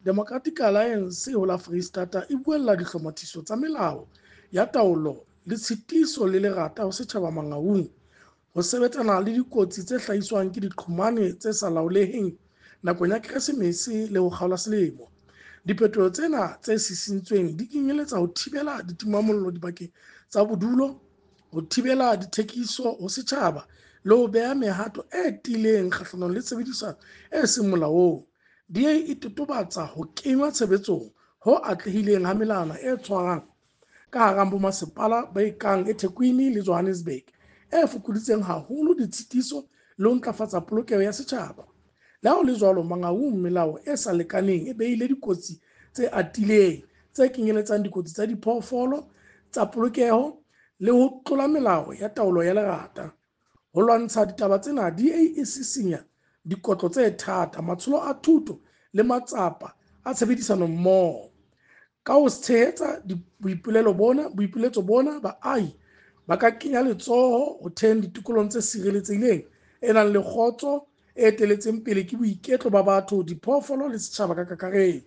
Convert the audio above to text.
Democratic Alliance ho la Freistata e buella dihlomathiso tsa melao ya taolo le tshitiso le lerata ho setjhaba Mangaung ho sebetsana le dikotsi tse hlahiswang ke diqhomane tse sa laoleheng nakong ya Keresemese le ho kgaola selemo. Diphetoho tsena tse sisintsweng di kenyeletsa ho thibela ditimamollo dibakeng tsa bodulo, ho thibela dithekiso ho setjhaba le ho beha mehato e tiileng kgahlanong le tshebedisano e seng molaong. DA e totobatsa ho kengwa tshebetsong ho atlehileng ha melawana e tshwarang ka hara bomasepala ba kang eThekwini le Johannesburg e fokoditseng haholo ditshitiso le ho ntlafatsa polokeho ya setjhaba. Le ha ho le jwalo, Mangaung melao e sa lekaneng e behile dikotsi tse atileng tse kenyeletsang dikotsi tsa diphoofolo, tsa polokeho le ho tlola melao ya taolo ya lerata. Ho lwantsha ditaba tsena, DA e sisinya dikotlo tse thata, matsholo a thuto le matsapa a tshebedisano mmoho. Ka ho tshehetsa boipiletso bona, baahi ba ka kenya letsoho ho theheng ditokolohong tse sireletsehileng, e nang le kgotso, e eteletseng pele ke boiketlo ba batho, diphoofolo le setjhaba ka kakaretso.